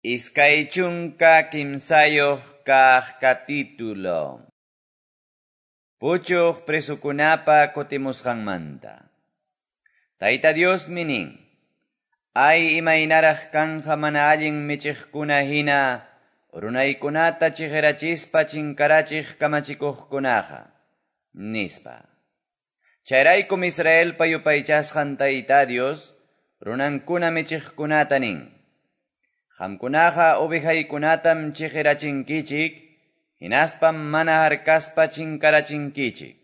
23 kaq capítulo. Puchuq presokunapa kutimusqanmanta. Tayta Diosmi nin: Ay, imaynaraq kanqa mana allin michiqkuna hina runaykunata chiqirachispa chinkarachiq kamachikuqkunaqa, nispa. Chayraykum Israelpa yupaychasqan Tayta Dios runankuna michiqkunata nin: Qamkunaqa ovejaykunatam chiqirachinkichik, hinaspam mana harkaspa chinkarachinkichik.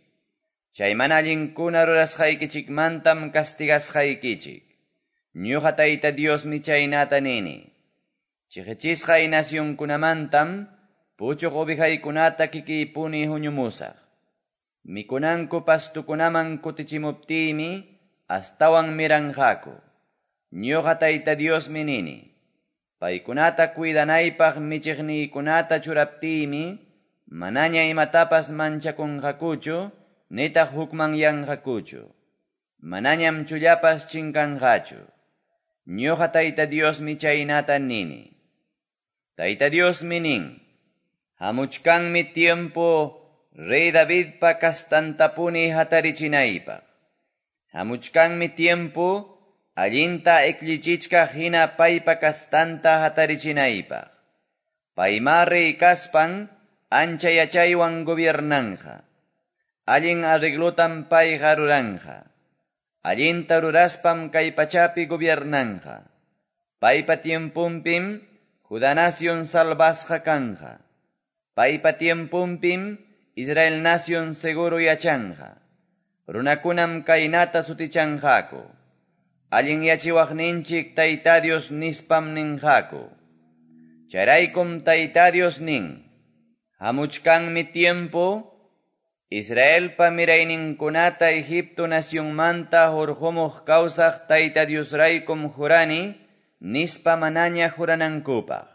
Chay mana allinkuna rurasqaykichikmantam castigasqaykichik. Ñuqa Tayta Diosmi chaynata nini. Chiqichisqay nacionkunamantam puchuq ovejaykunata kikiypuni huñumusaq. Mikunanku pastukunaman kutichimuptiymi astawan miranqaku. Ñuqa Tayta Diosmi nini. Paykunata cuidanaypaq michiqniykunata churaptiymi manaña imatapas manchakunqakuchu nitaq hukmanyanqakuchu. Manañam chullapas chinkanqachu. Ñuqa Tayta Diosmi chaynata nini. Tayta Diosmi nin: Hamuchkanmi tiempo Rey Davidpa kastantapuni hatarichinaypaq. Hamuchkanmi tiempo allinta ekllichichkaq hina paypa kastanta hatarichinaypaq. Paymá rey kaspan ancha yachaywan gobiernanja. Allin arreglotam payqa ruranja. Allinta ruraspam kay pachapi gobiernanja. Paypa tiemponpim Judá nación salvasqa kanja. Paypa tiemponpim Israel nación seguro yachanja. Runakunam kaynata sutichanqaku. Allin yachiwaqninchik Tayta Dios nispam ninqaku. Chayraykum Tayta Dios nin: Hamuchkanmi tiempo Israelpa mirayninkunata Egipto nacionmanta hurqumuq kawsaq Tayta Diosraykum jurani nispa manaña juranankupaq.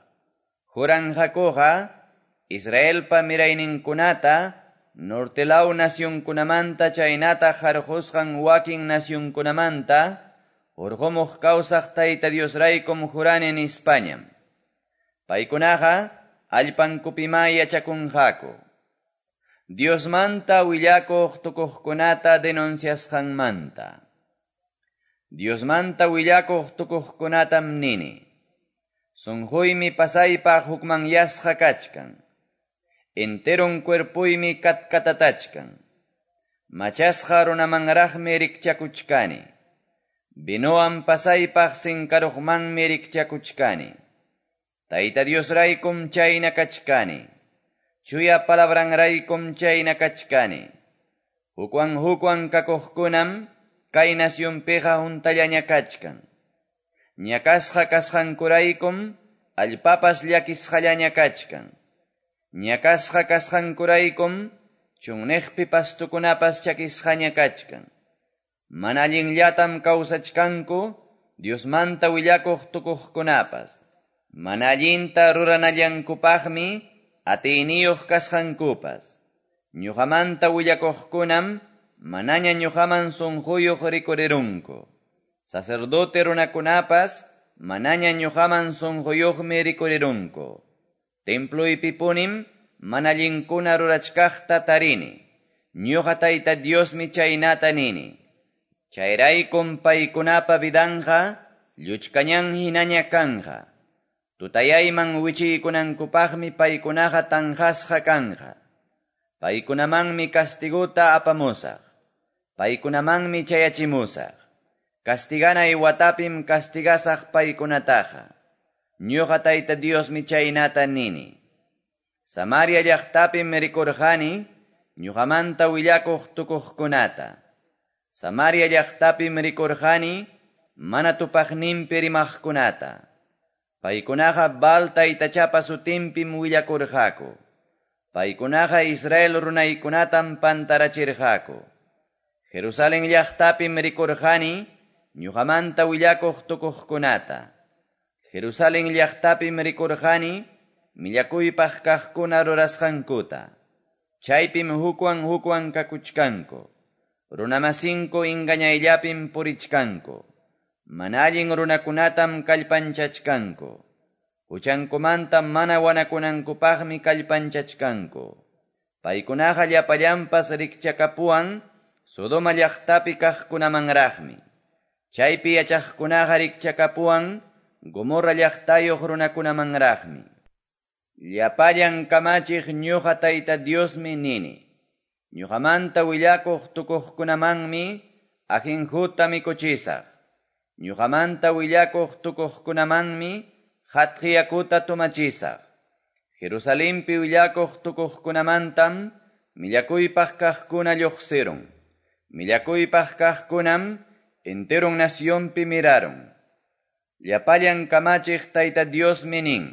Juranqakuqa Israelpa mirayninkunata norte law nacionkunamanta chaynata harqusqan wakin nacionkunamanta hurqumuq kawsaq Tayta Diosraykum jurani nispañam. Paykunaqa allpankupimá yachakunqaku. Diosmanta willakuq tukuqkunata denunciasqanmanta. Diosmanta willakuq tukuqkunatam nini: Sunquymi pasaypaq hukmanyasqa kachkan. Enteron cuerpuymi katkatatachkan. Machasqa runamanraqmi rikchakuchkani. Vinowan pasaypaq sinkaruqmanmi rikchakuchkani. Tayta Diosraykum chayna kachkani. Chuya palabranraykum chayna kachkani. Hukwan hukwan kakuqkunam kay nacionpiqa huntallaña kachkan. Ñakasqa kasqankuraykum allpapas llakisqallaña kachkan. Ñakasqa kasqankuraykum chunniqpi pastukunapas chakisqaña kachkan. Mana allinllatam kawsachkanku Diosmanta willakuq tukuqkunapas. Mana allinta ruranallankupaqmi atiyniyuq kasqankupas. Ñuqamanta willakuqkunam manaña ñuqaman sunquyuq rikurirunku. Sacerdote runakunapas manaña ñuqaman sunquyuqmi rikurirunku. Temploypipunim mana allinkuna rurachkaqta tarini. Ñuqa Tayta Diosmi chaynata nini. Chayraykum paykunapa vidanqa lluchkañan hinaña kanja. Tutayayman wichiykunankupaqmi paykunaqa tanqasqa kanja. Paykunamanmi castiguta apamusaq. Paykunamanmi chayachimusaq. Castiganay watapim castigasaq paykunataqa. Ñuqa Tayta Diosmi chaynata nini. Samaria llaqtapim rikurqani ñuqamanta willakuq tukuqkunata. Samaria llaqtapim rikurqani mana tupaqninpi rimaqkunata. Paykunaqa Baal taytachapa sutinpim willakurqaku. Paykunaqa Israel runaykunatam pantarachirqaku. Jerusalén llaqtapim rikurqani ñuqamanta willakuq tukuqkunata. Jerusalén llaqtapim rikurqani millakuypaq kaqkuna rurasqankuta. Chaypim hukwan hukwan kakuchkanku. Runamasinku engañayllapim purichkanku. Mana allin runakunatam kallpanchachkanku. Huchankumanta mana wanakunankupaqmi kallpanchachkanku. Paykunaqa llapallanpas rikchakapuwan Sodoma llaqtapi kaqkunamanraqmi. Chaypi yachaqkunaqa rikchakapuwan Gomorra llaqtayuq runakunamanraqmi. Llapallan kamachiq ñuqa Tayta Diosmi nini. Ñuqamanta willakuq tukuqkunamanmi ajenjuta mikuchisaq. Ñuqamanta willakuq tukuqkunamanmi qatqi yakuta tomachisaq. Jerusalenpi willakuq tukuqkunamantam millakuypaq kaqkuna lluqsirun. Millakuypaq kaqkunam enteron nacionpi miraron. Llapallan kamachiq Tayta Diosmi nin.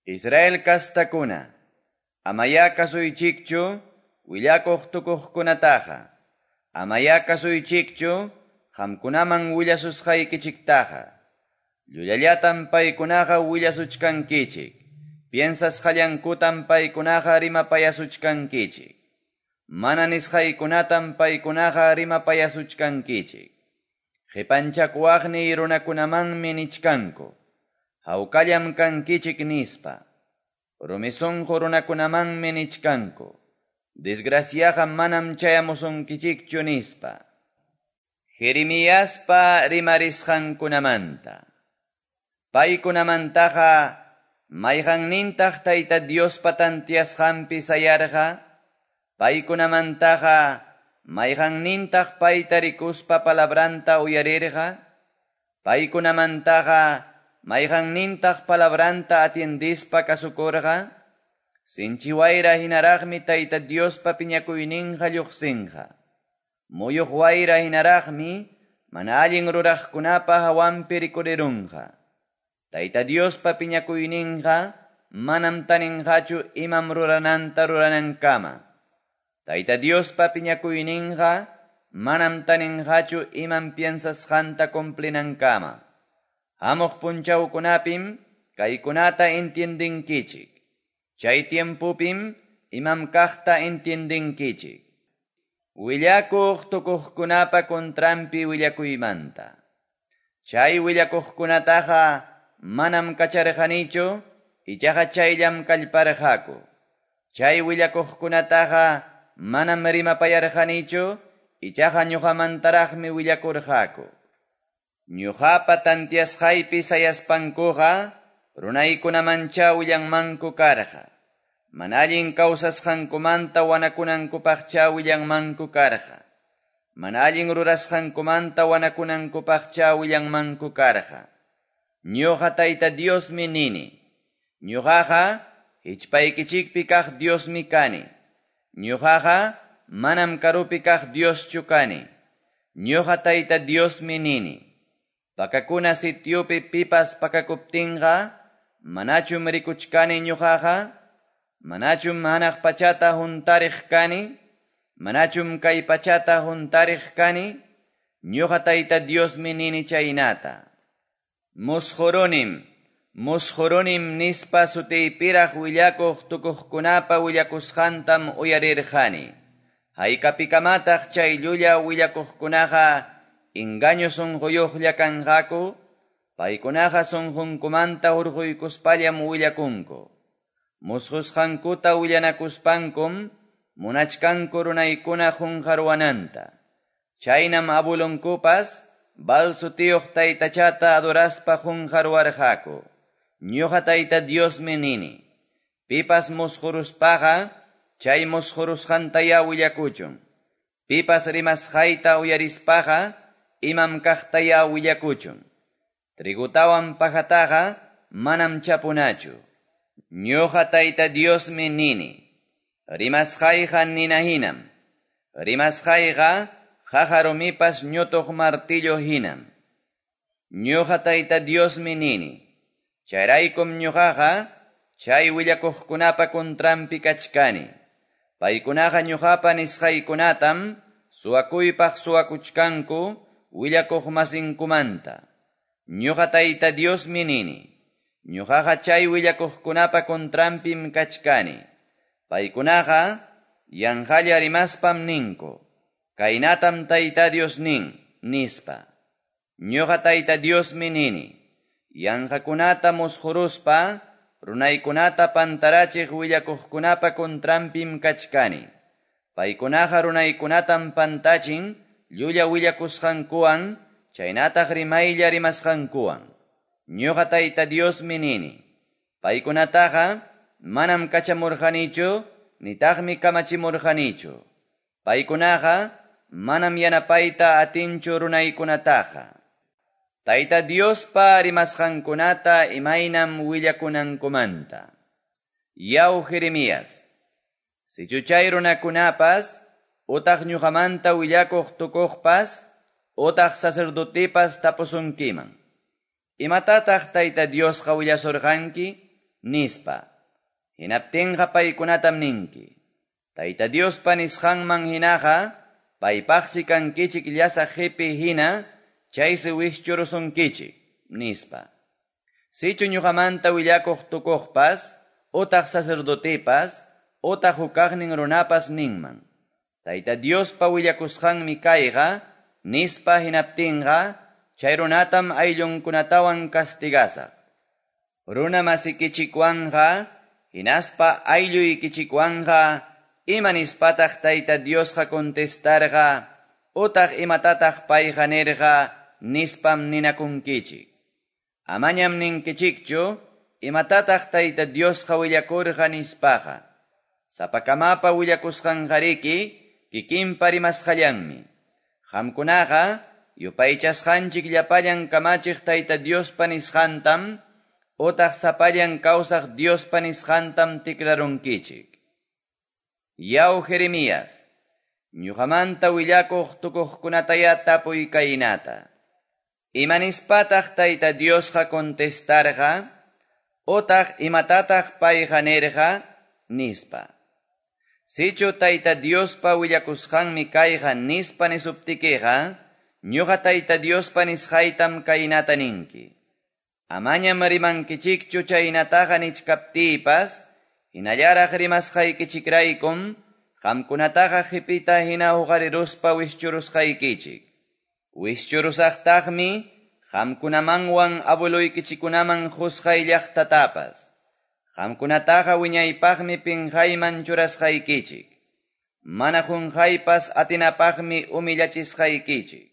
Israel kastakuna, amaya kasuychikchu willakuq tukuqkunataqa. Amaya kasuychikchu qamkunaman willasusqaykichiktaqa. Llullallatam paykunaqa willasuchkankichik. Piensasqallankutam paykunaqa rimapayasuchkankichik. Mana nisqaykunatam paykunaqa rimapayasuchkankichik. Qipanchakuwaqniy runakunamanmi nichkanku. Hawkallam kankichik nispa. Rumi sunqu runakunamanmi nichkanku. Desgraciaqa manam chayamusunkichikchu nispa. Jeremiaspa rimarisqankunamanta. Paykunamantaqa mayqannintaq Tayta Diospa tantiasqanpi sayarqa? Paykunamantaqa mayqannintaq payta rikuspa palabranta uyarirqa? Paykunamantaqa mayqannintaq palabranta atiendispa kasukurqa? Sinchi wayra hinaraqmi Tayta Diospa piñakuyninqa lluqsinqa. Muyuq wayra hinaraqmi mana allin ruraqkunapa hawanpi rikurirunqa. Tayta Diospa piñakuyninqa manam taninqachu imam rurananta ruranankama. Tayta Diospa piñakuyninqa manam taninqachu imam piensasqanta cumplinankama. Hamuq punchawkunapim kaykunata entiendinkichik. Chay tiempopim imam kaqta entiendinkichik. Willakuq tukuqkunapa contranpi willakuymanta. Chay willakuqkunataqa manam kacharqanichu, ichaqa chayllam kallparqaku. Chay willakuqkunataqa manam rimapayarqanichu, ichaqa ñuqamantaraqmi willakurqaku. Ñuqapa tantiasqaypi sayaspankuqa runaykunamancha willanmanku karqa. Mana allin kawsasqankumanta wanakunankupaqcha willanmanku karqa. Mana allin rurasqankumanta wanakunankupaqcha willanmanku karqa. Ñuqa Tayta Diosmi nini. Ñuqaqa hichpaykichikpi kaq Diosmi kani. Ñuqaqa manam karupi kaq Dioschu kani. Ñuqa Tayta Diosmi nini. Pakakuna sitiopi pipas pakakuptinqa, manachum rikuchkani ñuqaqa? Manachum hanaq pachata huntariq kani? Manachum kay pachata huntariq kani? Ñuqa Tayta Diosmi nini chaynata. Musqurunim, musqurunim nispa sutiypiraq willakuq tukuqkunapa willakusqantam uyarirqani. Haykapikamataq chay llulla willakuqkunaqa engaño sunquyuqlla kanqaku? Paykunaqa sunqunkumanta hurquykuspallam willakunku. Musqusqankuta willanakuspankum munachkanku runaykuna qunqarwananta. Chaynam abulunkupas Baal sutiyuq taytachata adoraspa qunqarwarqaku. Ñuqa Tayta Diosmi nini. Pipas musquruspaqa chay musqurusqantaya willakuchun. Pipas rimasqayta uyarispaqa imam kaqtaya willakuchun. Trigutawan pajataqa manam chapunachu. Ñuqa Tayta Diosmi nini. Rimasqayqa nina hinam. Rimasqayqa qaqa rumipas ñutuq martillo hinam. Ñuqa Tayta Diosmi nini. Chayraykum ñuqaqa chay willakuqkunapa contranpi kachkani. Paykunaqa ñuqapa nisqaykunatam suwakuypaq suwakuchkanku willakuq masinkumanta. Ñuqa Tayta Diosmi nini. Ñuqaqa chay willakuqkunapa contranpim kachkani. Paykunaqa yanqalla rimaspam ninku. Kaynatam Tayta Dios nin, nispa. Ñuqa Tayta Diosmi nini. Yanqakunata musquruspa runaykunata pantarachiq willakuqkunapa contranpim kachkani. Paykunaqa runaykunatam pantachin llulla willakusqankuwan chaynataq rimaylla rimasqankuwan. Ñuqa Tayta Diosmi nini. Paykunataqa manam kachamurqanichu nitaqmi kamachimurqanichu. Paykunaqa manam yanapayta atinchu runaykunataqa. Tayta Diospa rimasqankunata imaynam willakunankumanta. Yaw Jeremías, sichu chay runakunapas, utaq ñuqamanta willakuq tukuqpas, utaq sacerdotepas tapusunkiman. Imatataq Tayta Diosqa willasurqanki? Nispa. Hinaptinqa paykunatam ninki. Tayta Diospa nisqanman hinaqa, paypaqsi kankichik llasaq qipi hina, chaysi wischurusunkichik, nispa. Sichu ñuqamanta willakuq tukuqpas, utaq sacerdotepas, utaq hukaqnin runapas ninman. Tayta Diospa willakusqanmi kayqa, nispa hinaptinqa, chay runatam ayllunkunatawan castigasaq. Runa masikichikwanqa, hinaspa aylluykichikwanqa, ima nispataq Tayta Diosqa contestarqa, utaq imatataq payqa nirqa, nispam ninakunkichik. Amañam ninkichikchu, imatataq Tayta Diosqa willakurqa nispaqa. Sapakamapa willakusqanqariki, kikinpa rimasqallanmi. Qamkunaqa, yupaychasqanchik llapallan kamachiq Tayta Diospa nisqantam, utaq sapallan kawsaq Diospa nisqantam tikrarunkichik. Yaw Jeremías, ñuqamanta willakuq tukuqkunataya tapuy kaynata. Imanispataq Tayta Diosqa contestarqa, utaq imatataq payqa nirqa, nispa. Sichu Tayta Diospa willakusqanmi kayqa nispa nisuptikiqa, ñuqa Tayta Diospa nisqaytam kaynata ninki. Amañam rimankichikchu chaynataqa nichkaptiypas, hinallaraq rimasqaykichikraykum, qamkunataqa qipita hina huqariruspa wischurusqaykichik. Wischurusaqtaqmi qamkunamanwan abueluykichikunaman qusqay llaqtatapas. Qamkunataqa wiñaypaqmi pinqayman churasqaykichik. Mana qunqaypas atinapaqmi humillachisqaykichik.